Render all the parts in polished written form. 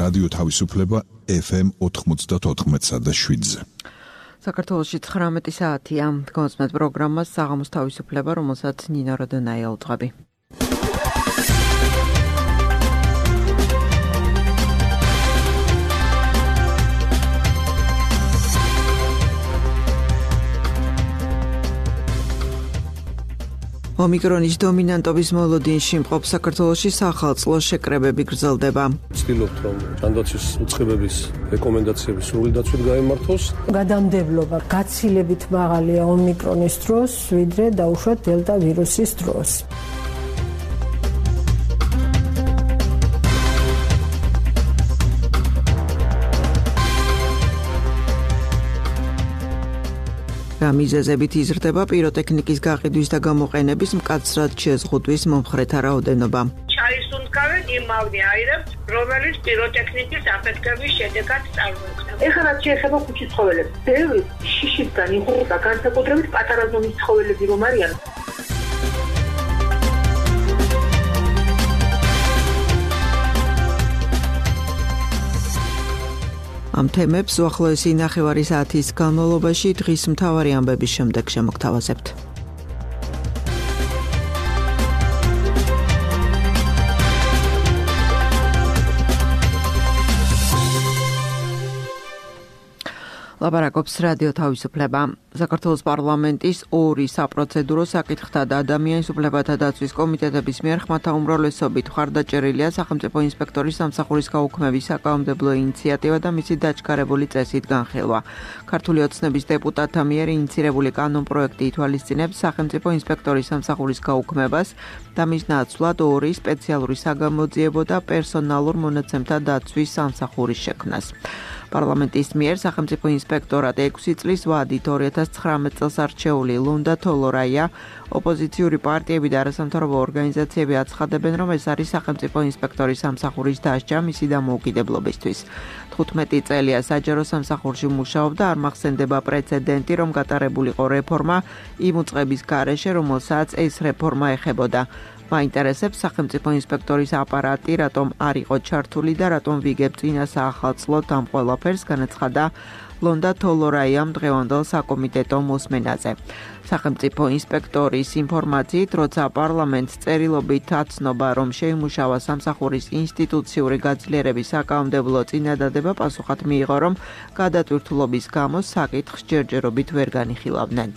რადიო თავისუფლება FM 94.7-ზე. საქართველოში 19 საათია. Დგომასმეთ პროგრამას საღამოს თავისუფლება, რომელსაც ნინო როდონაია უძღვები. ომიკრონის დომინანტობის მოლოდინში მყოფ საქართველოში სახალხო შეკრებები გრძელდება. ვცდილობთ, რომ ჯანდაცვის უწყებების რეკომენდაციები სრული დაცვით გაემართოს. გადამდებლობა გაცილებით მაღალია ომიკრონის დროს, ვიდრე დაუშვათ დელტა ვირუსის დროს. მიზეზებით იზრდება პიროტექნიკის გაყიდვის და გამოყენების მკაცრად შეზღუდვის მომხრეთა რაოდენობა. ჩაისუნთქავენ იმ მაგნიაირებს, რომელიც პიროტექნიკის აფეთქების შედეგად წარმოიქმნება. ეხლა რაც შეეხება ქუჩის ცხოველებს, ბევრი შიშისგან იღუპება, განსაკუთრებით პატარა ზომის ცხოველები რომ არიან. ამ თემებს უახლოესი ნახევარი საათის განმავლობაში დღის მთავარი ამბების შემდეგ შემოგთავაზებთ. ლაპარაკობს რადიო თავისუფლება. საქართველოს პარლამენტის ორი საპროცედურო საკითხთა და ადამიანის უფლებათა დაცვის კომიტეტების მიერ ხმათა უმრავლესობით მხარდაჭერილია სახელმწიფო ინსპექტორის სამსახურის გაუქმების საკანონმდებლო ინიციატივა და მისი დაჩქარებული წესით განხილვა. ქართული ოცნების დეპუტატთა მიერ ინიცირებული კანონპროექტი ითვალისწინებს სახელმწიფო ინსპექტორის სამსახურის გაუქმებას და მის ნაცვლად ორი სპეციალური საგამოძიებო და პერსონალურ მონაცემთა დაცვის სამსახურის შექმნას. პარლამენტის მიერ სახელმწიფო ინსპექტორატ 6 წლის ვადით 2019 წელს არჩეული ლონდა თოლორაია ოპოზიციური პარტიები და არასამთავრობო ორგანიზაციები აცხადებენ, რომ ეს არის სახელმწიფო ინსპექტორის სამსახურის დასჯა მისი დამოუკიდებლობისთვის. 15 წელია საჯარო სამსახურში მუშაობდა, არ მახსენდება პრეცედენტი, რომ გატარებულიყო რეფორმა იმ უწყების გარეშე, რომელსაც ეს რეფორმა ეხებოდა. მაინტერესებს სახელმწიფო ინსპექტორის აპარატი, რატომ არ იყო ჩართული და რატომ ვიგებ წინა საახალწლოდ ამ ყველაფერს, განაცხადა ლონდა თოლორაიამ დღევანდელ საკომიტეტო მოსმენაზე. სახელმწიფო ინსპექტორის ინფორმაციით, როცა პარლამენტს წერილობით აცნობა, რომ შეიმუშავა სამსახურის ინსტიტუციური გაძლიერების საკანონმდებლო წინადადება, პასუხად მიიღო, რომ გადატვირთულობის გამო საკითხს ჯერჯერობით ვერ განიხილავდნენ.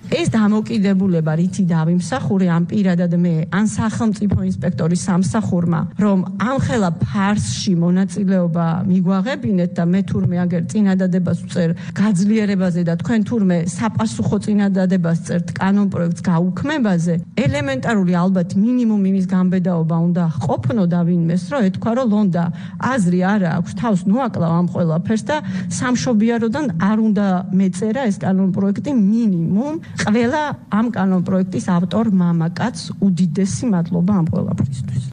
ეს დამოკიდებულება რითი დავიმსახურე ამ პირადად მე ან სახელმწიფო ინსპექტორის სამსახურმა, რომ ამხელა ფარსში მონაწილეობა მიგვაღებინეთ და მე თურმე აგერ წინადადებას ვწერ გაძლიერებაზე და თქვენ თურმე საპასუხო წინადადებას წერთ კანონპროექტს გაუქმებაზე, ელემენტარული ალბათ მინიმუმ იმის გამბედაობა უნდა ყოფნო და ვინმეს, რომ ეთქვა, რომ ლონდა აზრი არა აქვს, თავს ნუაკლავ ამ ყველაფერს და სამშობიაროდან არ უნდა მეწერა ეს კანონპროექტი მინიმუმ ყველა ამ კანონპროექტის ავტორ მამაკაცს უდიდესი მადლობა ამ ყველაფრისთვის.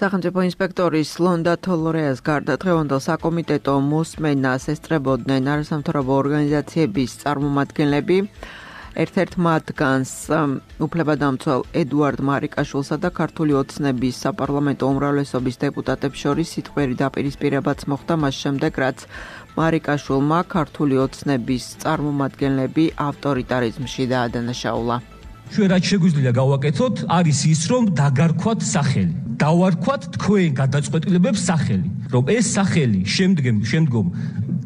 სახელმწიფო ინსპექტორის ლონდა თოლორეას გარდა დღევანდელ საკომიტეტო მოსმენას ესწრებოდნენ არასამთავრობო ორგანიზაციების წარმომადგენლები. ერთ-ერთ მათგანს უფლებადამცველ ედუარდ მარიკაშვილსა და ქართული ოცნების საპარლამენტო უმრავლესობის დეპუტატებს შორის სიტყვიერი დაპირისპირებაც მოხდა მას შემდეგ, რაც მარიკაშვილმა ქართული ოცნების წარმომადგენლები ავტორიტარიზმში დაადანაშაულა. ჩვენ რაც შეგვიძლია გავაკეთოთ, არის ის, რომ დაგარქვათ სახელი. დავარქვათ თქვენ გადაწყვეტილებებს სახელი, რომ ეს სახელი შემდგომ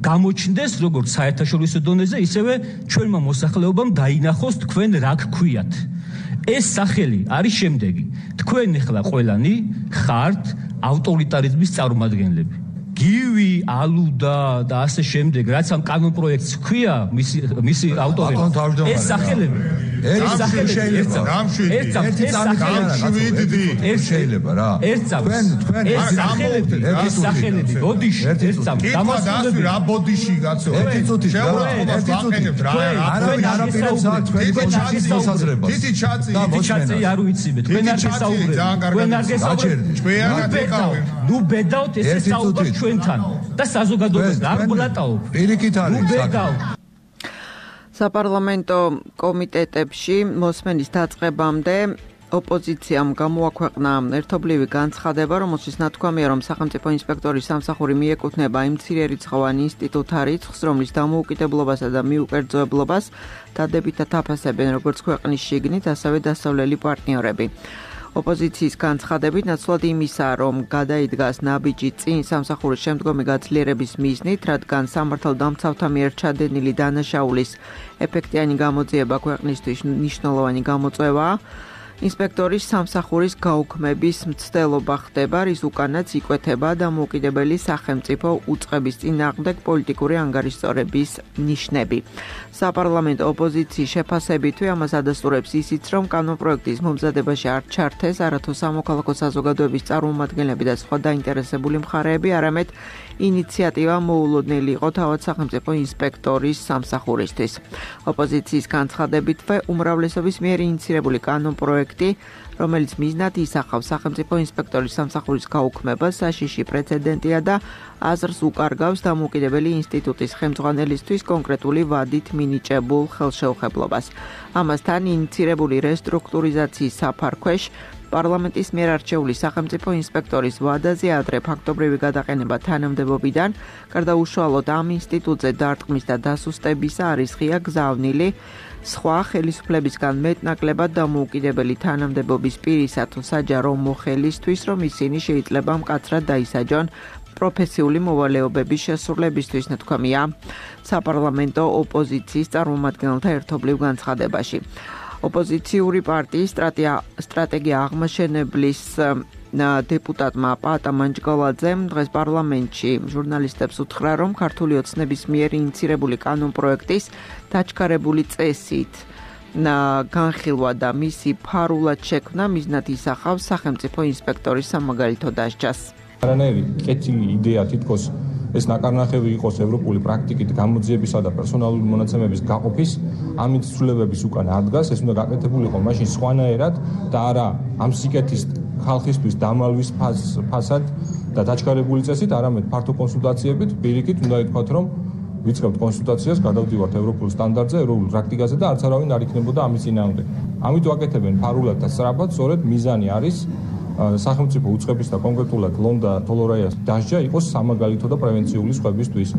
გამოჩნდეს როგორც საერთაშორისო დონეზე, ისევე ჩვენმა მოსახლეობამ დაინახოს თქვენ რა გქვიათ. ეს სახელი არის შემდეგი. თქვენ ახლა ყველანი ხართ ავტორიტარიზმის წარმომადგენლები. გივი, ალუდა და ასე შემდეგ, რაც ამ კანონპროექტს ჰქვია, მისი ავტორები. ეს სახელები შეიძლება რა. თქვენ ეს სახელები ბოდიში დამასვი რა ბოდიში კაცო. ერთი წუთი შეურაცხყოფას რა არაფერს აქვს თქვენი ბოდიშის მოსაზრებას. თითი ჩაწი არ ვიციბეთ. თქვენ არ გესაუბრეთ. ნუ ბედავთ ესე საუბრობთ ჩვენთან და საზოგადოებას არ გულატაობ. პირიქით არის ბედავ. საპარლამენტო კომიტეტებში მოსმენის დაწყებამდე ოპოზიციამ გამოაქვეყნა ერთობლივი განცხადება, რომელშიც ნათქვამია, რომ სახელმწიფო ინსპექტორის სამსახური მიეკუთვნება იმ მცირერიცხოვან ინსტიტუტთა რიცხვს, რომლის დამოუკიდებლობასა და მიუკერძოებლობას დადებითად აფასებენ როგორც ქვეყნის შიგნით, ასევე დასავლელი პარტნიორები. ოპოზიციის განცხადებით ნაცვლად იმისა, რომ გადაიდგას ნაბიჯი წინ სამსახურის შემდგომი გაძლიერების მიზნით, რადგან სამართალდამცავთა მიერ ჩადენილი დანაშაულის ეფექტიანი გამოძიება ქვეყნისთვის მნიშვნელოვანი გამოწვევაა. ინსპექტორის სამსახურის გაუქმების მცდელობა ხდება, რის უკანაც იკვეთება დამოუკიდებელი სახელმწიფო უწყების წინააღმდეგ პოლიტიკური ანგარიშწორების ნიშნები. საპარლამენტო ოპოზიციის შეფასებითვე ამას ადასტურებს ისიც, რომ კანონპროექტის მომზადებაში არ ჩართეს არათუ სამოქალაქო საზოგადოების წარმომადგენლები და სხვა დაინტერესებული მხარეები, არამედ ინიციატივა მოულოდნელი იყო თავად სახელმწიფო ინსპექტორის სამსახურისთვის. ოპოზიციის განცხადებითვე უმრავლესობის მიერ ინიცირებული კანონპროექტი, რომელიც მიზნად ისახავს სახელმწიფო ინსპექტორის სამსახურის გაუქმებას, საშიში პრეცედენტია და აზრს უკარგავს დამოუკიდებელი ინსტიტუტის ხელმძღვანელისთვის კონკრეტული ვადით მინიჭებულ ხელშეუხებლობას. ამასთან ინიცირებული რესტრუქტურიზაციის საფარქვეშ პარლამენტის მიერ არჩეული სახელმწიფო ინსპექტორის ვადაზე ადრე ფაქტობრივი გადაყენება თანამდებობიდან, გარდა უშუალოდ ამ ინსტიტუტზე დარტყმის და დასუსტებისა არის ღია გზავნილი სხვა ხელისუფლებისგან მეტნაკლებად დამოუკიდებელი თანამდებობის პირისა თუ საჯარო მოხელისთვის, რომ ისინი შეიძლება მკაცრად დაისაჯონ პროფესიული მოვალეობების შესრულებისთვის, ნათქვამია საპარლამენტო ოპოზიციის წარმომადგენელთა ერთობლივ განცხადებაში. ოპოზიციური პარტიის სტრატეგია აღმაშენებლის დეპუტატმა პაატა მანჯგალაძემ დღეს პარლამენტში ჟურნალისტებს უთხრა, რომ ქართული ოცნების მიერ ინიცირებული კანონპროექტის დაჩქარებული წესით განხილვა და მისი ფარულად შექმნა მიზნად ისახავს სახელმწიფო ინსპექტორის სამაგალითო დასჯას. არანაირი კეთილი იდეა თითქოს ეს ნაკარნახევი იყოს ევროპული პრაქტიკით გამოძიებისა და პერსონალური მონაცემების გაყოფის, ამით ცვლილებების უკან ადგას, ეს უნდა გაკეთებულიყო მაშინ სხვანაირად და არა ამ სიკეთის ხალხისთვის დამალვის ფასად და დაჩქარებული წესით, არამედ ფართო კონსულტაციებით, პირიქით უნდა ითქვათ, რომ ვიწყებთ კონსულტაციას, გადავდივართ ევროპულ სტანდარტზე, ევროპულ პრაქტიკაზე და არც არავინ არ იქნებოდა ამის წინააღმდეგ. ამით ვაკეთებენ ფარულად და სწრაფად, სწორედ მიზანი არის სახელმწიფო უწყების და კონკრეტულად ლონდა თოლორაიას დასჯა იყოს სამაგალითო და პრევენციული სხვებისთვის.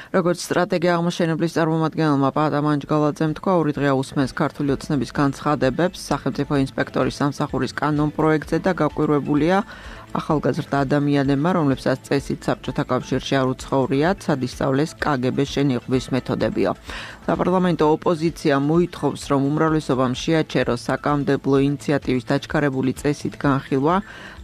როგორც სტრატეგია აღმაშენებლის წარმომადგენელმა პაატა მანჯგალაძემ თქვა, ორი დღეა უსმენს ქართული ოცნების განცხადებებს სახელმწიფო ინსპექტორის სამსახურის კანონპროექტზე და გაკვირვებულია ახალგაზრდა ადამიანებმა, რომლებსაც წესით საბჭოთა კავშირში არ უცხოვრიათ, სადისწავლეს კგბ-ს შენიღბვის მეთოდებიო. საპარლამენტო ოპოზიცია მოითხოვს, რომ უმრავლესობამ შეაჩეროს საკანონმდებლო ინიციატივის დაჩქარებული წესით განხილვა,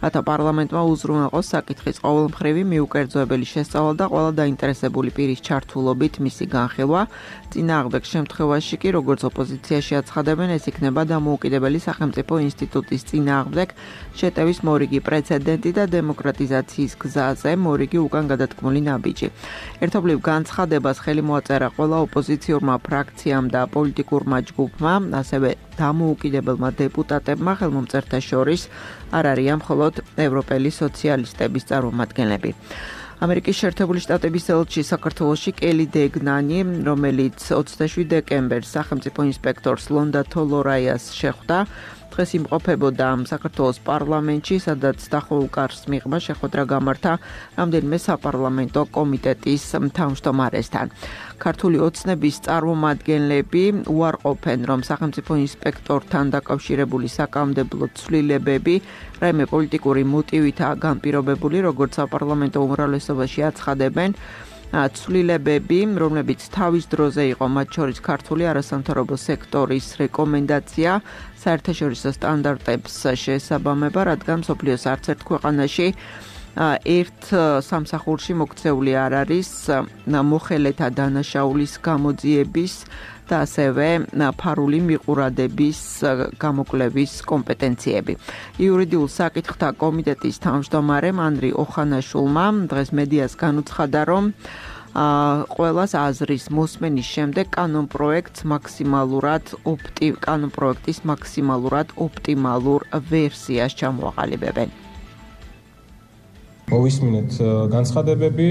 რათა პარლამენტმა უზრუნველყოს საკითხის ყოველმხრივი მიუკერძოებელი შესწავლა და ყველა დაინტერესებული პირის ჩართულობით მისი განხილვა. წინააღმდეგ შემთხვევაში კი, როგორც ოპოზიციაში აცხადებენ, ეს იქნება დამოუკიდებელი სახელმწიფო ინსტიტუტის წინააღმდეგ შეტევის მორიგი პრეცედენტი და დემოკრატიზაციის გზაზე მორიგი უკან გადადგმული ნაბიჯი. ერთობლივ განცხადებას ხელი მოაწერა ყველა ოპოზიციურმა ფრაქციამ და პოლიტიკურმა ჯგუფმა, ასევე დამოუკიდებელმა დეპუტატებმა, ხელმომწერთა შორის არ არიან მხოლოდ ევროპელი სოციალისტების წარმომადგენლები. ამერიკის შეერთებული შტატების ელჩი საქართველოში კელი დეგნანი, რომელიც 27 დეკემბერს სახელმწიფო ინსპექტორს ლონდა თოლორაიას შეხვდა, დღეს იმყოფებოდა საქართველოს პარლამენტში, სადაც დახოლკარს მიღმა შეხვედრა გამართა რამდენიმე საპარლამენტო კომიტეტის თავმჯდომარესთან. ქართული ოცნების წარმომადგენლები უარყოფენ, რომ სახელმწიფო ინსპექტორთან დაკავშირებული საკანონმდებლო ცვლილებები რაიმე პოლიტიკური მოტივითაა განპირობებული, როგორც საპარლამენტო უმრავლესობაში აცხადებენ. ცვლილებები, რომლებიც თავის დროზე იყო მათ შორის ქართული არასამთავრობო სექტორის რეკომენდაცია საერთაშორისო სტანდარტებს შეესაბამება, რადგან მსოფლიოს არც ერთ ქვეყანაში ერთ სამსახურში მოქცეული არ არის მოხელეთა დანაშაულის გამოძიების და ასევე ფარული მიყურადების გამოკვლევის კომპეტენციები. იურიდიულ საკითხთა კომიტეტის თავმჯდომარემ ანრი ოხანაშულმა დღეს მედიას განუცხადა, რომ ყველას აზრის მოსმენის შემდეგ კანონპროექტის მაქსიმალურად ოპტიმალურ ვერსიას ჩამოაყალიბებენ. მოვისმინეთ განცხადებები,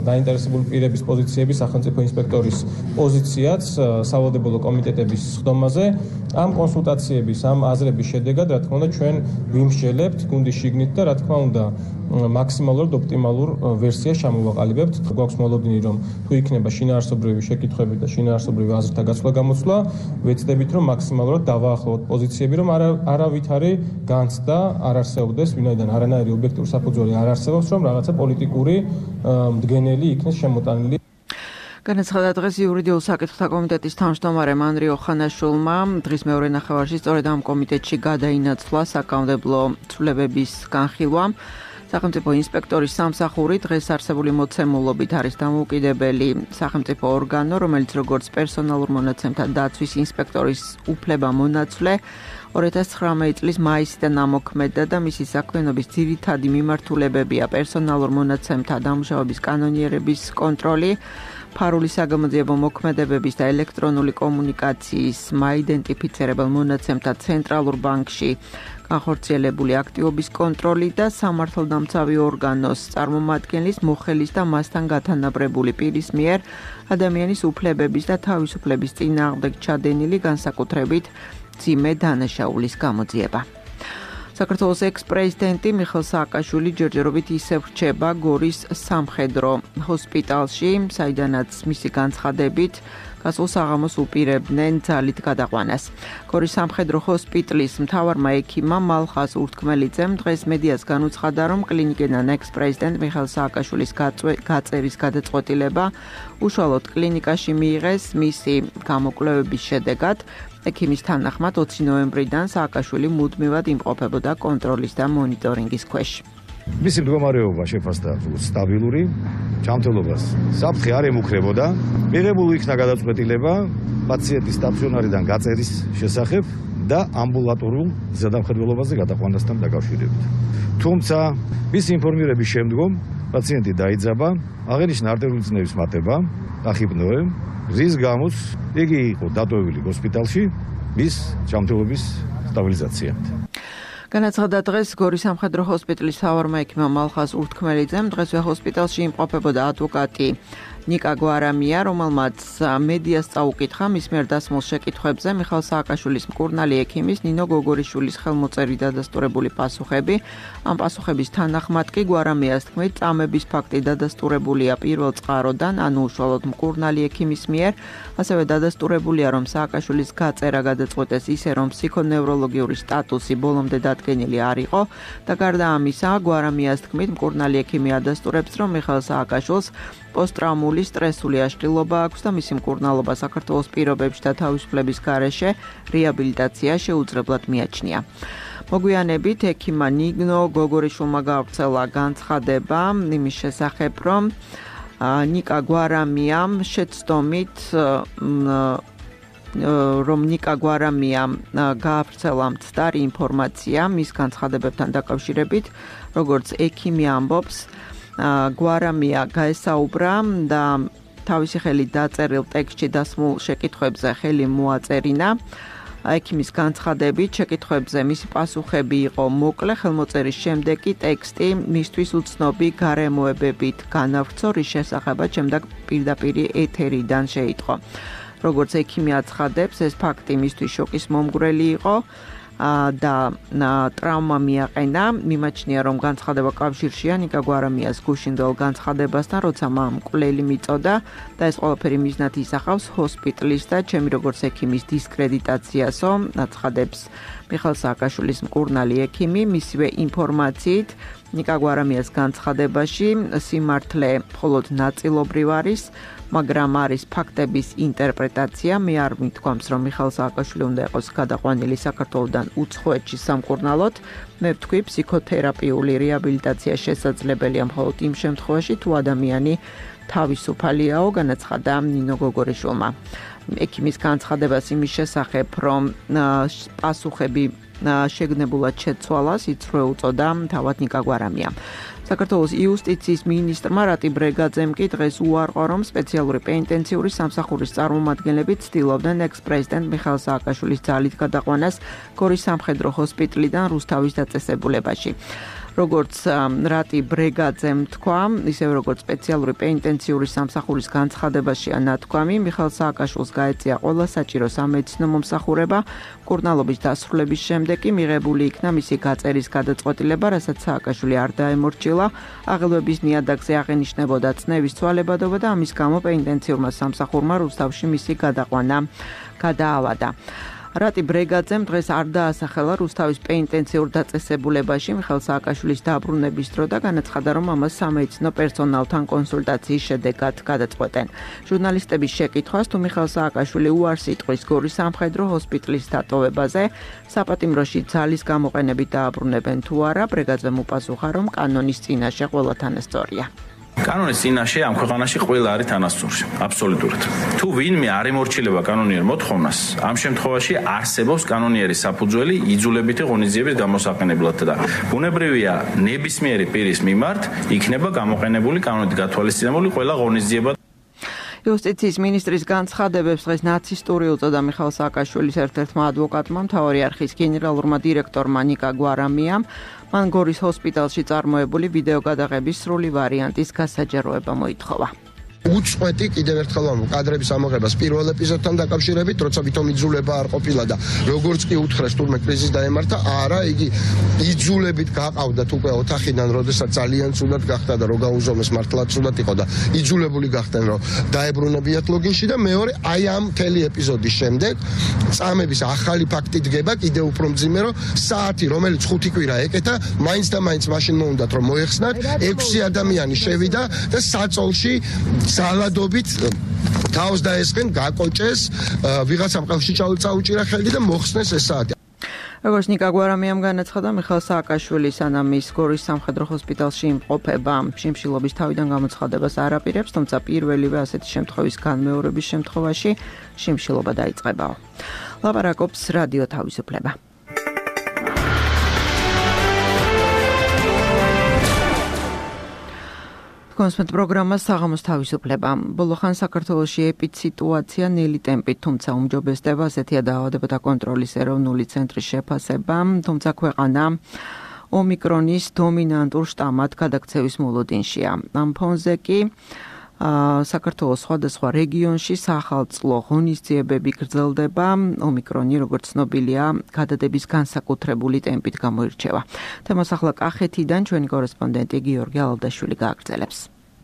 დაინტერესებული პირების პოზიციები, სახელმწიფო ინსპექტორის პოზიციაც სავალდებულო კომიტეტების ხდომაზე. ამ კონსულტაციების, ამ აზრების შედეგად, რა თქმა უნდა, ჩვენ ვიმსჯელებთ გუნდის შიგნით და რა თქმა უნდა, მაქსიმალურად ოპტიმალურ ვერსიას ჩამოვაყალიბებთ. გვაქვს მოლოდინი, რომ თუ იქნება შინაარსობრივი შეკითხვები და შინაარსობრივი აზრთა გაცვლა-გამოცვლა, ვეცდებით, რომ მაქსიმალურად დავაახლოვოთ პოზიციები, რომ არავითარი განცდა არ არსებობდეს, ვინაიდან არანაირი ობიექტური საფუძველი არ არსებობს, რომ რაღაცა პოლიტიკური მდგენელი იქნეს შემოტანილი. განაცხადა დღეს იურიდიულ საკითხთა კომიტეტის თავმჯდომარე მანრი ოხანაშვილმა, დღის მეორე ნახევარში სწორედ ამ კომიტეტში გადაინაცვლა საკანონმდებლო ცვლილებების განხილვა. სახელმწიფო ინსპექტორის სამსახური დღეს არსებული მოცემულობით არის დამოუკიდებელი სახელმწიფო ორგანო, რომელიც როგორც პერსონალურ მონაცემთა დაცვის ინსპექტორის უფლება-მონაცვლე 2019 წლის მაისიდან ამოქმედდა და მისი საქმიანობის ძირითადი მიმართულებებია პერსონალურ მონაცემთა დამუშავების კანონიერების კონტროლი, ფარული საგამოძიებო მოქმედებების და ელექტრონული კომუნიკაციის მაიდენტიფიცირებელ მონაცემთა ცენტრალურ ბანკში განხორციელებული აქტივობის კონტროლი და სამართალდამცავი ორგანოს წარმომადგენლის, მოხელის და მასთან გათანაბრებული პირის მიერ ადამიანის უფლებების და თავისუფლების წინააღმდეგ ჩადენილი განსაკუთრებით მძიმე დანაშაულის გამოძიება. საქართველოს ექს-პრეზიდენტი მიხეილ სააკაშვილი ჯერჯერობით ისევ რჩება გორის სამხედრო ჰოსპიტალში, საიდანაც მისი განცხადებით გასულ საღამოს უპირებდნენ ძალით გადაყვანას. გორის სამხედრო ჰოსპიტალის მთავარმა ექიმმა მალხაზ ურთქმელიძემ დღეს მედიას განუცხადა, რომ კლინიკიდან ექს-პრეზიდენტ მიხეილ სააკაშვილის გაწერის გადაწყვეტილება უშუალოდ კლინიკაში მიიღეს მისი გამოკვლევების შედეგად. ექიმის თანახმად 20 ნოემბრიდან სააკაშვილი მუდმივად იმყოფებოდა კონტროლის და მონიტორინგის ქვეშ. მისი მდგომარეობა შეფასდა სტაბილური, ჯანმრთელობას საფრთხე არ ემუქრებოდა. მიღებული იქნა გადაწყვეტილება პაციენტის სტაციონარიდან გაწერის შესახებ და ამბულატორულ ზედამხედველობაზე გადაყვანასთან დაკავშირებით. თუმცა მისი ინფორმირების შემდგომ პაციენტი დაიძაბა, აღენიშნა არტერიული წნევის მატება, დახიბნოე, რის გამოც იგი იყო დატოვებული ჰოსპიტალში მის ჯანმრთელობის სტაბილიზაციამდე. განაცხადა დღეს გორის სამხედრო ჰოსპიტალის მთავარმა ექიმმა მალხაზ ურთქმელიძემ, დღესვე ჰოსპიტალში იმყოფებოდა ადვოკატი ნიკა გვარამია, რომელმაც მედიას წაუკითხა მის მიერ დასმულ შეკითხვებზე მიხეილ სააკაშვილის მკურნალი ექიმის ნინო გოგორიშვილის ხელმოწერით დადასტურებული პასუხები. ამ პასუხების თანახმად კი გვარამიას თქმით, წამების ფაქტი დადასტურებულია პირველ წყაროდან, ანუ უშუალოდ მკურნალი ექიმის მიერ, ასევე დადასტურებულია, რომ სააკაშვილის გაწერა გადაწყვეტეს ისე, რომ ფსიქონევროლოგიური სტატუსი ბოლომდე დადგენილი არ იყო და გარდა ამისა, გვარამიას თქმით, მკურნალი ექიმი ადასტურებს, რომ მიხეილ სააკაშვილს პოსტტრაუმული სტრესული აშლილობა აქვს და მისი მკურნალობა საქართველოს პირობებში და თავისუფლების გარეშე რეაბილიტაცია შეუძლებლად მიაჩნია. მოგვიანებით ექიმმა ნინო გოგორიშვილმა გავრცელა განცხადება იმის შესახებ, რომ ნიკა გვარამიამ შეცდომით რომ ნიკა გვარამიამ გავრცელა მცდარი ინფორმაცია მის განცხადებებთან დაკავშირებით, როგორც ექიმი ამბობს, გვარამია გაესაუბრა და თავისი ხელით დაწერილ ტექსტში დასმულ შეკითხვებზე ხელი მოაწერინა. ექიმის განცხადებით შეკითხვებზე მისი პასუხები იყო მოკლე, ხელმოწერის შემდეგ კი ტექსტი მისთვის უცნობი გარემოებებით განავრცო, რის შესახებაც შემდეგ პირდაპირ ეთერიდან შეიტყო. როგორც ექიმი აცხადებს, ეს ფაქტი მისთვის შოკის მომგვრელი იყო და ტრავმა მიაყენა. მიმაჩნია, რომ განცხადება კავშირშია ნიკა გვარამიას გუშინდელ განცხადებასთან, როცა მამ მკვლელი მიწოდა და ეს ყველაფერი მიზნად ისახავს ჰოსპიტალის და ჩემი როგორც ექიმის დისკრედიტაციასო, აცხადებს მიხეილ სააკაშვილის მკურნალი ექიმი. მისივე ინფორმაციით ნიკა გვარამიას განცხადებაში სიმართლე მხოლოდ ნაწილობრივ არის, მაგრამ არის ფაქტების ინტერპრეტაცია. მე არ მithქვამს, რომ მიხეილ სააკაშვილი უნდა იყოს გადაყვანილი საქართველოდან უცხოეთში სამკურნალოდ. მე ვთქვი, ფსიქოთერაპიული რეაბილიტაცია შესაძლებელია მხოლოდ იმ შემთხვევაში, თუ ადამიანი თავისუფალიაო, განაცხადა ნინო გოგორიშვილმა. ექიმის განცხადებას იმის შესახებ, რომ პასუხები შეგნებულად შეცვალას, იწვევ უწოდა თავად ნიკა გვარამიამ. საქართველოს იუსტიციის მინისტრმა რატი ბრეგაძემ კი დღეს უარყო, რომ სპეციალური პენიტენციური სამსახურის წარმომადგენლები ცდილობდნენ ექს-პრეზიდენტ მიხეილ სააკაშვილის ძალით გადაყვანას გორის სამხედრო ჰოსპიტალიდან რუსთავის დაწესებულებაში. როგორც რატი ბრეგაძემ თქვა, ისევე როგორც სპეციალური პენიტენციური სამსახურის განცხადებაშია ნათქვამი, მიხეილ სააკაშვილს გაეწია ყველა საჭირო სამედიცინო მომსახურება, მკურნალობის დასრულების შემდეგ კი მიღებული იქნა მისი გაწერის გადაწყვეტილება, რასაც სააკაშვილი არ დაემორჩილა, აღელვების ნიადაგზე აღენიშნებოდა წნევის ცვალებადობა და ამის გამო პენიტენციურმა სამსახურმა რუსთავში მისი გადაყვანა გადაავადა. რატი ბრეგაძემ დღეს არ დაასახელა რუსთავის პენიტენციურ დაწესებულებაში მიხეილ სააკაშვილის დაბრუნების დრო და განაცხადა, რომ ამას სამედიცინო პერსონალთან კონსულტაციის შედეგად გადაწყვეტენ. ჟურნალისტების შეკითხვას, თუ მიხეილ სააკაშვილი უარს იტყვის გორის სამხედრო ჰოსპიტალის დატოვებაზე, საპატიმროში ძალის გამოყენებით დააბრუნებენ თუ არა, ბრეგაძემ უპასუხა, რომ კანონის წინაშე ყველა თანასწორია. კანონის წინაშე ამ ქვეყანაში ყველა არის თანასწორში, აბსოლუტურად. თუ ვინმე არ ემორჩილება კანონიერ მოთხოვნას, ამ შემთხვევაში არსებობს კანონიერი საფუძველი იძულებითი ღონისძიების გამოსაყენებლად და ბუნებრივია ნებისმიერი პირის მიმართ იქნება გამოყენებული კანონით გათვალისწინებული ყველა ღონისძიება. იუსტიციის მინისტრის განცხადებებს დღეს ნაცისტური უწოდა მიხეილ სააკაშვილის ერთ-ერთმა ადვოკატმა, მთავარი არხის გენერალურმა დირექტორმა ნიკა გვარამიამ, მან გორის ჰოსპიტალში წარმოებული ვიდეო გადაღების სრული ვარიანტის გასაჯაროება მოითხოვა. უწყვეტი კიდევ ერთხელ ვამბობ კადრების ამოღებას პირველ ეპიზოდთან დაკავშირებით, როცა ვითომ იძულება არ ყოფილა და როგორც კი უთხრეს თურმე კრიზის დაემართა, არა, იგი იძულებით გაყავდათ უკვე ოთახიდან, როდესაც ძალიან ცუდად გახდა და რო გაუზომეს მართლაც ცუდად იყო და იძულებული გახდნენ, რომ დაებრუნებიათ ლოგინში და მეორე აი ამ მთელი ეპიზოდის შემდეგ წამების ახალი ფაქტი დგება კიდევ უფრო მძიმე, რომ საათი, რომელიც 5 კვირა ეკეთა, მაინც და მაინც მაშინ მოუნდათ რომ მოეხსნათ, 6 ადამიანი შევიდა და საწოლში ზალადობით თავს დაესხენ, გაკოჭეს, ვიღაცამ ყელში წაუჭირა ხელი და მოხსნეს ეს საათი. როგორც ნიკა გვარამიამ განაცხადა, მიხეილ სააკაშვილი სანამ ის გორის სამხედრო ჰოსპიტალში იმყოფება, შიმშილობის თავიდან გამოცხადებას არ აპირებს, თუმცა პირველივე ასეთი შემთხვევის განმეორების შემთხვევაში შიმშილობა დაიწყებაო. ლაპარაკობს რადიო თავისუფლება. კონსპект პროგრამა საღამოს თავისუფლება. ბოლოხან საქართველოში ეპიდსიტუაცია ნელი ტემპით, თუმცა უმჯობესდება ასეთია დაავადებათა კონტროლის ეროვნული ცენტრის შეფასება, თუმცა ქვეყანა ომიკრონის დომინანტურ შტამად გადაქცევის მოლოდინშია. ამ ფონზე კი საქართველოს სხვადასხვა რეგიონში სახალწლო ღონისძიებები გრძელდება. ომიკრონი, როგორც ცნობილია, გადადების განსაკუთრებული ტემპით გამოირჩევა. თემას ახლა კახეთიდან ჩვენი კორესპონდენტი გიორგი ალალდაშვილი გააგრძელებს.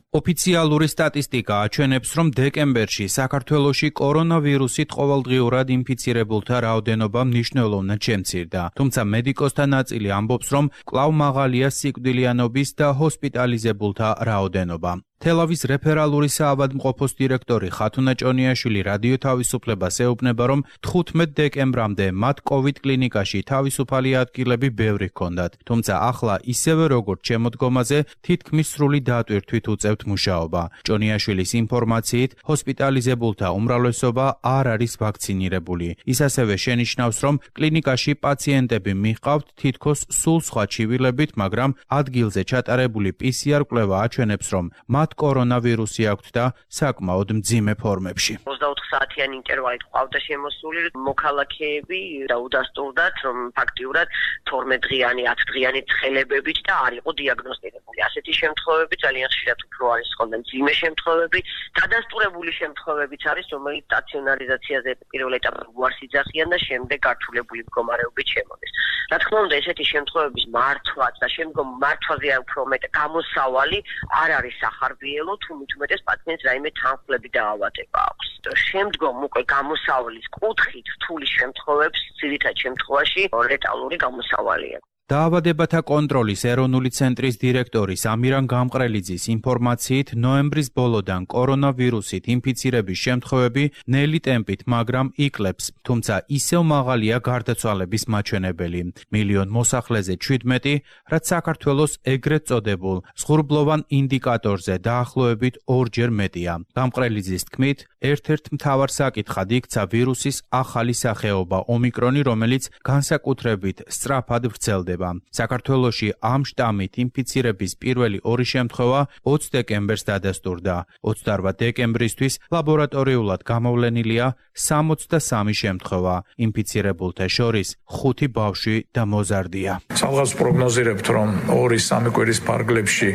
ოფიციალური სტატისტიკა აჩვენებს, რომ დეკემბერში საქართველოში კორონავირუსით ყოველდღიურად ინფიცირებულთა რაოდენობა მნიშვნელოვნად შემცირდა. თუმცა მედიკოსთა ნაწილი ამბობს, რომ კვლავ მაღალია სიკვდილიანობის და ჰოსპიტალიზებულთა რაოდენობა. თელავის რეფერალური საავადმყოფოს დირექტორი ხათუნა ჭონიაშვილი რადიო თავისუფლებას ეუბნება, რომ 15 დეკემბრამდე მათ COVID კლინიკაში თავისუფალი ადგილები ბევრი ჰქონდათ, თუმცა ახლა ისევე როგორც შემოდგომაზე თითქმის სრული დატვირთვით უწევთ მუშაობა. ჭონიაშვილის ინფორმაციით, ჰოსპიტალიზებულთა უმრავლესობა არ არის ვაქცინირებული. ის ასევე შენიშნავს, რომ კლინიკაში პაციენტები მიჰყავთ თითქოს სულ სხვა ჩივილებით, მაგრამ ადგილზე ჩატარებული PCR კვლევა აჩვენებს, რომ კორონავირუსი აქვთ და საკმაოდ მძიმე ფორმებში. 24 საათიანი ინტერვალით ყავდა შემოსული მოქალაქეები და udasturdat, რომ ფაქტიურად 12 დღიანი, 10 დღიანი ცხელებებით და არ იყო დიაგნოსტირებული. ასეთი შემთხვევები ძალიან ხშირად უფრო არის ხოლმე მძიმე შემთხვევები, დადასტურებული შემთხვევებიც არის, რომელიც სტაციონარიზაციაზე პირველ ეტაპზე უარს იძახიან და შემდეგ გართულებული მდგომარეობით შემოდის. რა თქმა უნდა, ესეთი შემთხვევების მართვაც და შემდგომ მართვაზე უფრო მეტ გამოსავალი არ არის სახარბიელო, თუ მით უმეტეს პაციენტს რაიმე თანხლები დაავადება აქვს. შემდგომ უკვე გამოსავლის კუთხით რთული შემთხვევებს ძირითად შემთხვევაში ლეტალური გამოსავალია. დაავადებათა კონტროლის ეროვნული ცენტრის დირექტორი ამირან გამყრელიძის ინფორმაციით, ნოემბრის ბოლოდან კორონავირუსით ინფიცირების შემთხვევები ნელი ტემპით, მაგრამ იკლებს, თუმცა ისევ მაღალია გარდაცვალების მაჩვენებელი. მილიონ მოსახლეზე 17, რაც საქართველოს ეგრეთ წოდებულ ზღურბლოვან ინდიკატორზე დაახლოებით 2-ჯერ მეტია. გამყრელიძის თქმით, ერთ-ერთ მთავარ საკითხად იქცა ვირუსის ახალი სახეობა ომიკრონი, რომელიც განსაკუთრებით სწრაფად ვრცელდება. ვითარდება. საქართველოში ამ შტამით ინფიცირების პირველი 2 შემთხვევა 20 დეკემბერს დადასტურდა. 28 დეკემბრისთვის ლაბორატორიულად გამოვლენილია 63 შემთხვევა. ინფიცირებულთა შორის 5 ბავშვი და მოზარდია. Სამღაც პროგნოზირებთ, რომ 2-3 კვირის ფარგლებში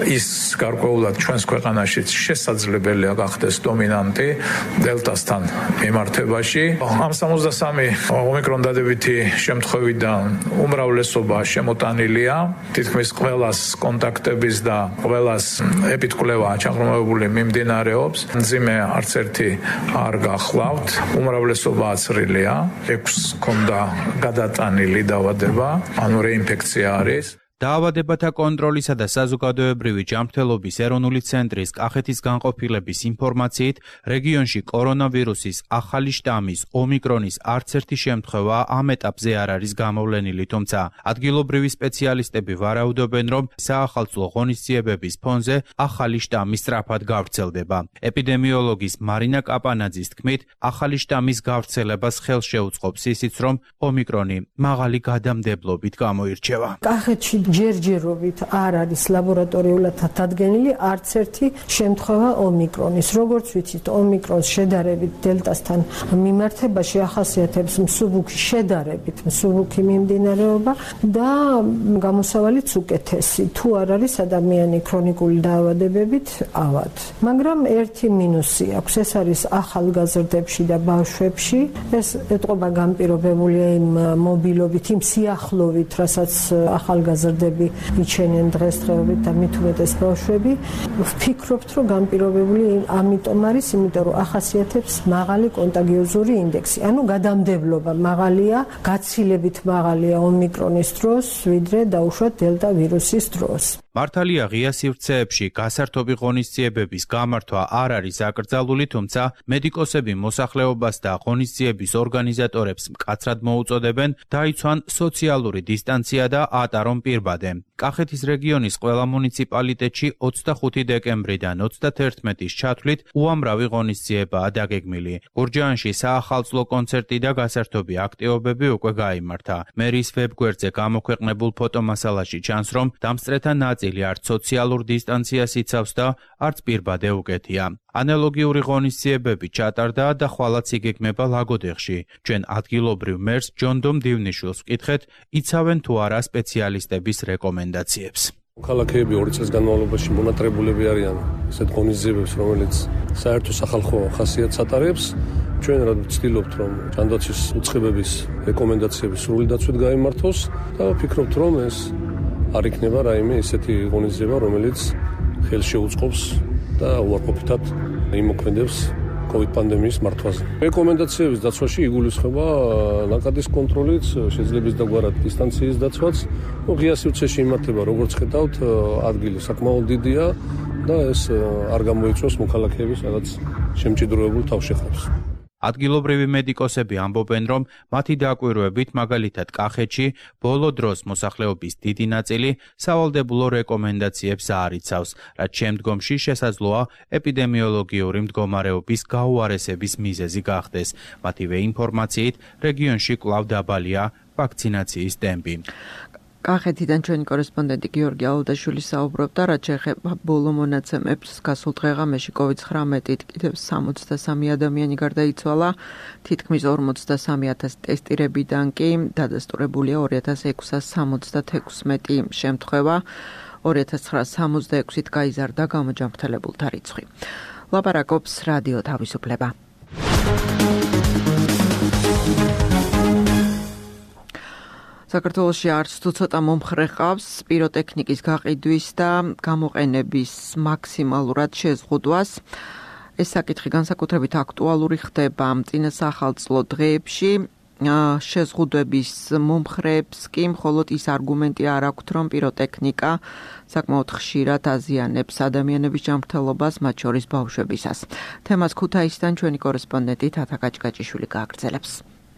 ის გარკვეულად ჩვენს ქვეყანაშიც შესაძლებელია გახდეს დომინანტი დელტასთან მიმართებაში. ამ 63 ომიკრონ დადებითი შემთხვევიდან უმრავლესობა შემოტანილია. თითქმის ყველას კონტაქტების და ყველას ეპიდკვლევა ჩაღრმავებული მიმდინარეობს. მძიმე არც ერთი არ გახლავთ. უმრავლესობა აცრილია. 6 ქონდა გადატანილი დაავადება, ანუ რეინფექცია არის. დაავადებათა კონტროლისა და საზოგადოებრივი ჯანმრთელობის ეროვნული ცენტრის კახეთის განყოფილების ინფორმაციით, რეგიონში კორონავირუსის ახალი შტამის ომიკრონის არც ერთი შემთხვევა ამ ეტაპზე არ არის გამოვლენილი, თუმცა ადგილობრივი სპეციალისტები ვარაუდობენ, რომ საახალწლო ღონისძიებების ფონზე ახალი შტამი სწრაფად გავრცელდება. ეპიდემიოლოგის მარინა კაპანაძის თქმით, ახალი შტამის გავრცელებას ხელს შეუწყობს ისიც, რომ ომიკრონი მაღალი გადამდებლობით გამოირჩევა. კახეთში ჯერჯერობით არ არის ლაბორატორიულად დადგენილი არც ერთი შემთხვევა ომიკრონის. როგორც ვიცით, ომიკრონს შედარებით დელტასთან მიმართებაში ახასიათებს მსუბუქი შედარებით მსუბუქი მიმდინარეობა და გამოსავალიც უკეთესი. თუ არ არის ადამიანი ქრონიკული დაავადებებით ავად. მაგრამ ერთი მინუსი აქვს, ეს არის ახალგაზრდებში და ბავშვებში. ეს ეტყობა განპირობებულია იმ მობილობით, იმ სიახლოვით, რასაც ახალგაზრდები იჩენენ დღესდღეობით და მით უმეტეს ბავშვები. ვფიქრობთ, რომ განპირობებული ამიტომ არის, იმიტომ რომ ახასიათებს მაღალი კონტაგიოზური ინდექსი. ანუ გადამდებლობა მაღალია, გაცილებით მაღალია ომიკრონის დროს, ვიდრე დაუშვათ დელტა ვირუსის დროს. მართალია ღია სივრცეებში გასართობი ღონისძიებების გამართვა არ არის აკრძალული, თუმცა მედიკოსები მოსახლეობას და ღონისძიების ორგანიზატორებს მკაცრად მოუწოდებენ დაიცვან სოციალური დისტანცია და ატარონ პირბადე. კახეთის რეგიონის ყველა მუნიციპალიტეტში 25 დეკემბრიდან 31-ის ჩათვლით უამრავი ღონისძიებაა დაგეგმილი. გურჯაანში საახალწლო კონცერტი და გასართობი აქტივობები უკვე გაიმართა. მერის ვებგვერდზე გამოქვეყნებულ ფოტომასალაში ჩანს, რომ დამსწრეთა ნაწილი არც სოციალურ დისტანციას იცავს და არც პირბადე უკეთია. ანალოგიური ღონისძიებები ჩატარდა და ხვალაც იგეგმება ლაგოდეხში. ჩვენ ადგილობრივ მერს ჯონდომ დივნიშვილს ვკითხეთ, იცავენ თუ არა სპეციალისტების რეკომენდაციებს. ქალაქები 2 წელს განმავლობაში მონატრებულები არიან ესეთ ღონისძიებებს, რომელიც საერთო სახალხო ხასიათს ატარებს. ჩვენ რა ვცდილობთ, რომ ჯანდაცვის უწყებების რეკომენდაციები სრული დაცვით გაიმართოს და ვფიქრობთ, რომ ეს არ იქნება რაიმე ისეთი ღონისძიება, რომელიც ხელს შეუწყობს და უარყოფითად იმოქმედებს COVID პანდემიის მართვაზე. რეკომენდაციების დაცვაში იგულისხმება ნაკადის კონტროლიც, შეძლების დაგვარად დისტანციის დაცვაც. ღია სივრცეში იმართება, როგორც ხედავთ, ადგილი საკმაოდ დიდია და ეს არ გამოიწვევს მოქალაქეების რაღაც შემჭიდროებულ თავშეხრებს. ადგილობრივი მედიკოსები ამბობენ, რომ მათი დაკვირვებით, მაგალითად კახეთში, ბოლო დროს მოსახლეობის დიდი ნაწილი სავალდებულო რეკომენდაციებს არ იცავს, რაც შემდგომში შესაძლოა ეპიდემიოლოგიური მდგომარეობის გაუარესების მიზეზი გახდეს. მათივე ინფორმაციით, რეგიონში კვლავ დაბალია ვაქცინაციის ტემპი. კახეთიდან ჩვენი კორესპონდენტი გიორგი ალოდაშვილი საუბრობდა, რაც შეეხება ბოლო მონაცემებს. გასულ დღეღამეში COVID-19-ით კიდევ 63 ადამიანი გარდაიცვალა, თითქმის 43,000 ტესტირებიდან კი დადასტურებულია 2666 შემთხვევა, 2966-ით გაიზარდა გამოჯანმრთელებულთა რიცხვი. ლაპარაკობს რადიო თავისუფლება. საქართველოში არც თუ ცოტა მომხრე ყავს პიროტექნიკის გაყიდვის და გამოყენების მაქსიმალურად შეზღუდვას. ეს საკითხი განსაკუთრებით აქტუალური ხდება წინა სახალწლო დღეებში. შეზღუდვების მომხრეებს კი მხოლოდ ის არგუმენტი არ აქვთ, რომ პიროტექნიკა საკმაოდ ხშირად აზიანებს ადამიანების ჯანმრთელობას, მათ შორის ბავშვებისას. თემას ქუთაისიდან ჩვენი კორესპონდენტი თათა გაჭგაჭიშვილი გააგრძელებს.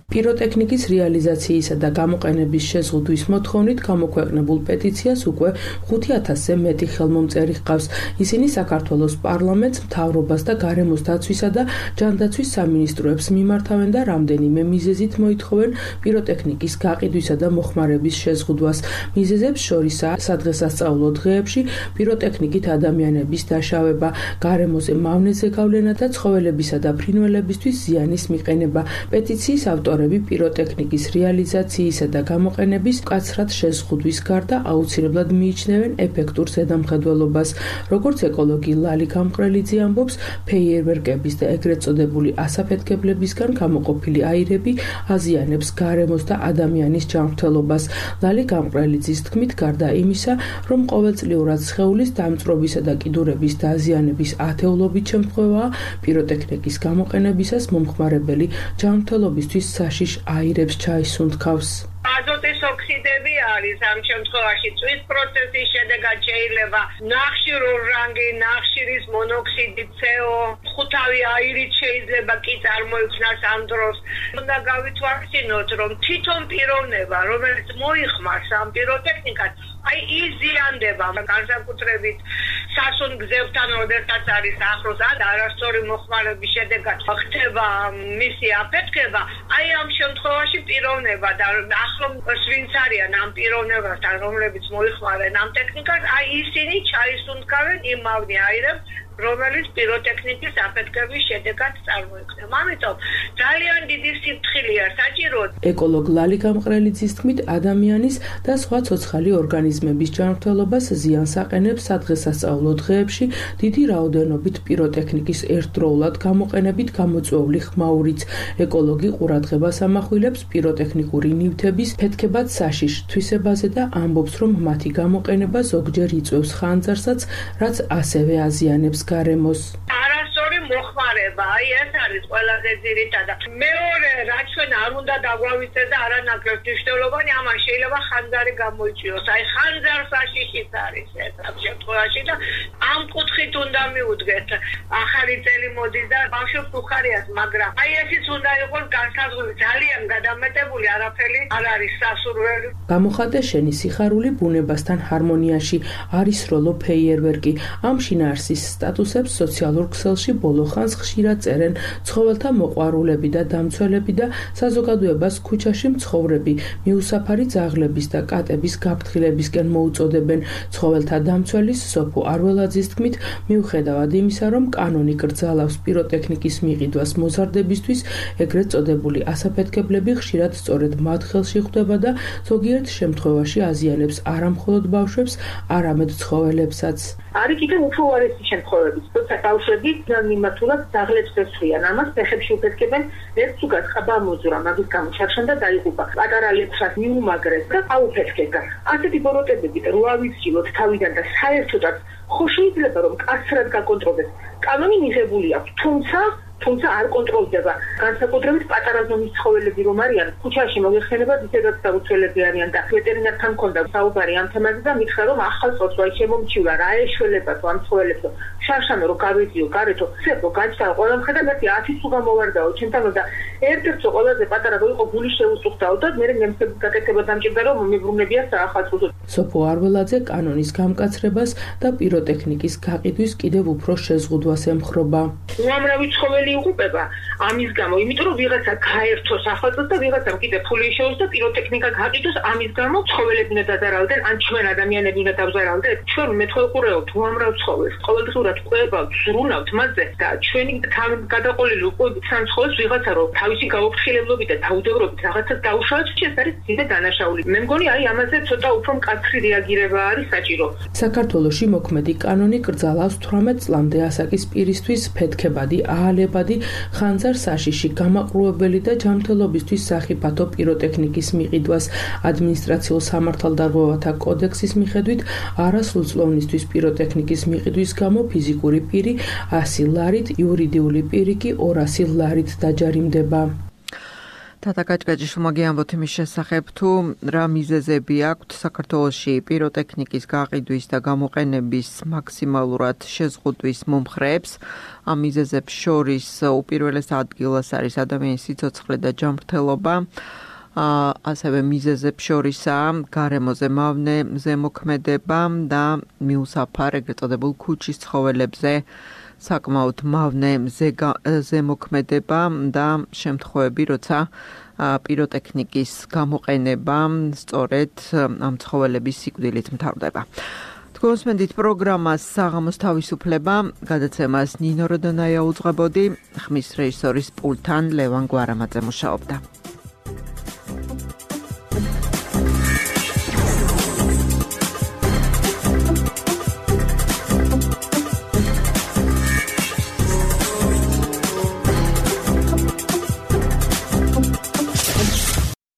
პიროტექნიკის რეალიზაციისა და გამოყენების შეზღუდვის მოთხოვნით გამოქვეყნებულ პეტიციას უკვე 5000-ზე მეტი ხელმომწერი ჰყავს. ისინი საქართველოს პარლამენტს, მთავრობას და გარემოს დაცვისა და ჯანდაცვის სამინისტროებს მიმართავენ და რამდენიმე მიზეზით მოითხოვენ პიროტექნიკის გაყიდვისა და მოხმარების შეზღუდვას. მიზეზებს შორისაა სადღესასწაულო დღეებში პიროტექნიკით ადამიანების დაშავება, გარემოზე მავნეზე გავლენა და ცხოველებისა და ფრინველებისთვის ზიანის მიყენება. პეტიციის ავტორები პიროტექნიკის რეალიზაციისა და გამოყენების მკაცრად შეზღუდვის გარდა აუცილებლად მიიჩნევენ ეფექტურ ზედამხედველობას. როგორც ეკოლოგი ლალი გამყრელიძე ამბობს, ფეიერვერკების და ეგრეთ წოდებული ასაფეთქებლებისგან გამოყოფილი აირები აზიანებს გარემოს და ადამიანის ჯანმრთელობას. ლალი გამყრელიძის თქმით, გარდა იმისა, რომ ყოველწლიურად სხეულის დამწვრობისა და კიდურების დაზიანების ათეულობით შემთხვევაა, პიროტექნიკის გამოყენებისას მომხმარებელი ჯანმრთელობისთვის საშიშ აირებს ჩაისუნთქავს. აზოტის ოქსიდები არის ამ შემთხვევაში წვის პროცესის შედეგად შეიძლება ნახშირურ რანგი, ნახშირის მონოქსიდი, CO, ხუთავი აირით შეიძლება კი წარმოიქმნას ამ დროს. უნდა გავითვალისწინოთ, რომ თვითონ პიროვნება, რომელიც მოიხმარს ამ პიროტექნიკას, აი იზიანდება განსაკუთრებით სასუნ გზებთან, როდესაც არის ახლოს ან არასწორი მოხმარების შედეგად ხდება მისი აფეთქება, აი ამ შემთხვევაში პიროვნება და ახლო ვინც არიან ამ პიროვნებასთან, რომლებიც მოიხმარენ ამ ტექნიკას, აი ისინი ჩაისუნთქავენ იმ მავნე აირებს, რომელიც პიროტექნიკის აფეთქების შედეგად წარმოიქმნება. ამიტომ ძალიან დიდი სიფრთხილეა საჭირო. ეკოლოგ ლალი გამყრელიძის თქმით, ადამიანის და სხვა ცოცხალი ორგანიზმების ჯანმრთელობას ზიანს აყენებს სადღესასწაულო დღეებში დიდი რაოდენობით პიროტექნიკის ერთდროულად გამოყენებით გამოწვეული ხმაურიც. ეკოლოგი ყურადღებას ამახვილებს პიროტექნიკური ნივთების ფეთქებად საშიშ თვისებაზე და ამბობს, რომ მათი გამოყენება ზოგჯერ იწვევს ხანძარსაც, რაც ასევე აზიანებს გარემოს. არასწორი მოხმარება, აი ეს არის ყველაზე ძირითადი. მეორე, რაც ჩვენ არ უნდა დაგვავიწყდეს და არანაკლებ მნიშვნელოვანი, ამან შეიძლება ხანძარი გამოიწვიოს. აი ხანძარსაშიშიც არის ეს ამ შემთხვევაში და ამ კუთხით უნდა მიუდგეთ. ახალი წელი მოდის და ბავშვებს უხარიათ, მაგრამ აი ესიც უნდა იყოს განსაზღვრული, ძალიან გადამეტებული, არაფერი არ არის სასურველი. გამოხატე შენი სიხარული ბუნებასთან ჰარმონიაში, არის როლო ფეიერვერკი. ამ შინაარსის სტატუსებს სოციალურ ქსელში ბოლო ხანს ხშირად წერენ ცხოველთა მოყვარულები და დამცველები და საზოგადოებას ქუჩაში მცხოვრები მიუსაფარი ძაღლების და კატების გაფრთხილებისკენ მოუწოდებენ. ცხოველთა დამცველის სოფო არველაძის თქმით, მიუხედავად იმისა, რომ კანონი კრძალავს პიროტექნიკის მიყიდვას მოზარდებისთვის, ეგრეთ წოდებული ასაფეთქებლები ხშირად სწორედ მათ ხელში ხვდება და ზოგიერთ შემთხვევაში აზიანებს არა მხოლოდ ბავშვებს, არამედ ცხოველებსაც. არის კიდევ უფრო უარესი შემთხვევები, როცა ბავშვები მიმართულად ძაღლებს ესვიან, ამას ფეხებში უფეთქებენ, ერთ ზუგად ხაბა მოძურა, მაგის გამო ჩარშან და დაიღუპა. პატარა ლექსას მიუმაგრეს და აუფეთქება. ასეთი ბოროტებები რო ავიცილოთ თავიდან და საერთოდაც ხო შეიძლება რომ კაცრად გაკონტროლდეს. კანონი მიღებული აქვს, თუმცა არ კონტროლდება. განსაკუთრებით პატარა ზომის ცხოველები რომ არიან, ქუჩაში მოიხსენება ისედაც დაუცველები არიან და ვეტერინართან მქონდა საუბარი ამ თემაზე და მითხრა რომ ახალ წოწვაი შემომჩივლა, რა ეშველება თუ ამ ცხოველებს შარშანო რო გავედიო გარეთო, ცებო გაჩდა ყველა მხედა მე 10 თუ გამოვარდაო ჩემთან და ერთ-ერთი ყველაზე პატარა რო იყო გული შეუსუხდაო და მე ნემსების გაკეთება დამჭირდა რომ მიბრუნებია საახალწლო. სოფო არველაძე კანონის გამკაცრებას და პიროტექნიკის გაყიდვის კიდევ უფრო შეზღუდვას ემხრობა. უამრავი ცხოველი იღუპება ამის გამო, იმიტომ რომ ვიღაცა გაერთოს ახალწლად და ვიღაცამ კიდე ფული შეუძლოს და პიროტექნიკა გაყიდოს ამის გამო, ცხოველები უნდა დაზარალდნენ, ან ჩვენ ადამიანები უნდა დავზარალდეთ. ჩვენ მეთხოვყურეობთ უამრავ ცხოველს, ყოველდღურად ყვებავთ, ზრუნავთ მასზე და ჩვენი გადაყოლილი უყვებით სამ ცხოველს ვიღაცა რომ თავისი გაუფრთხილებლობით და დაუდევრობით რაღაცას დაუშავებს, ეს არის ძიმე დანაშაული. მე მგონი აი ამაზე ცოტა უფრო მკაცრი რეაგირება არის საჭირო. საქართველოში მოქმედი კანონი კრძალავს 18 წლამდე ასაკის პირისთვის ფეთქებადი, აალებადი, ხანძარ-საშიში, გამაყრუებელი და ჯანმრთელობისთვის სახიფათო პიროტექნიკის მიყიდვას. ადმინისტრაციულ სამართალდარღვევათა კოდექსის მიხედვით არასრულწლოვნისთვის პიროტექნიკის მიყიდვის გამო ფიზიკური პირი 100 ლარით, იურიდიული პირი კი 200 ლარით დაჯარიმდება. თათა კაჭკაჭიშვილმა გიამბოთ იმის შესახებ, თუ რა მიზეზები აქვთ საქართველოში პიროტექნიკის გაყიდვის და გამოყენების მაქსიმალურად შეზღუდვის მომხრეებს. ამ მიზეზებს შორის უპირველეს ადგილას არის ადამიანის სიცოცხლე და ჯანმრთელობა. ასევე მიზეზებს შორისაა გარემოზე მავნე ზემოქმედება და მიუსაფარ ეგრეთ წოდებულ ქუჩის ცხოველებზე საკმაოდ მავნე ზემოქმედება და შემთხვევები, როცა პიროტექნიკის გამოყენება სწორედ ამ ცხოველების სიკვდილით მთავრდება. თქვენსმენდით პროგრამას საღამოს თავისუფლება, გადაცემას ნინო როდონაია უძღვებოდი, ხმის რეჟისორის პულტთან ლევან გვარამაძე მუშაობდა.